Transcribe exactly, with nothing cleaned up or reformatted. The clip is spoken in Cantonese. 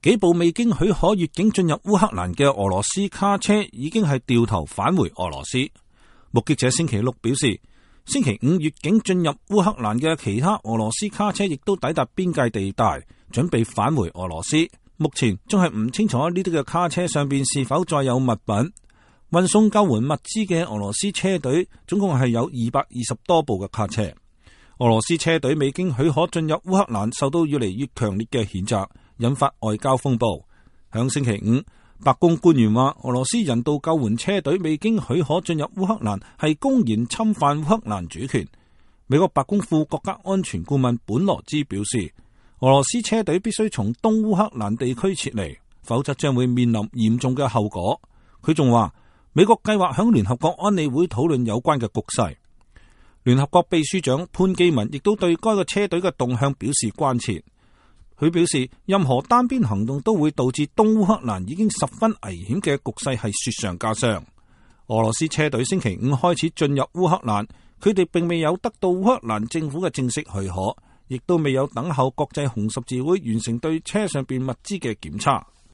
幾部未經許可越境進入烏克蘭嘅俄羅斯卡車已經係掉頭返回俄羅斯。目擊者星期六表示，星期五越境進入烏克蘭嘅其他俄羅斯卡車亦都抵達邊界地帶，準備返回俄羅斯。目前仲係唔清楚呢啲嘅卡車上邊是否載有物品。運送救援物資嘅俄羅斯車隊總共係有二百二十多部嘅卡車。俄羅斯車隊未經許可進入烏克蘭，受到越嚟越強烈嘅譴責，引發外交風暴。響星期五，白宮官員話，俄羅斯人道救援車隊未經許可進入烏克蘭係公然侵犯烏克蘭主權。美國白宮副國家安全顧問本羅茲表示，俄羅斯車隊必須從東烏克蘭地區撤離，否則將會面臨嚴重嘅後果。佢仲話，美國計劃響聯合國安理會討論有關嘅局勢。聯合國秘書長潘基文亦都對該個車隊嘅動向表示關切。佢表示，任何單邊行動都會導致東烏克蘭已經十分危險嘅局勢係雪上加霜。俄羅斯車隊星期五開始進入烏克蘭，佢哋並未有得到烏克蘭政府嘅正式許可，亦都未有等候國際紅十字會完成對車上邊物資嘅檢查。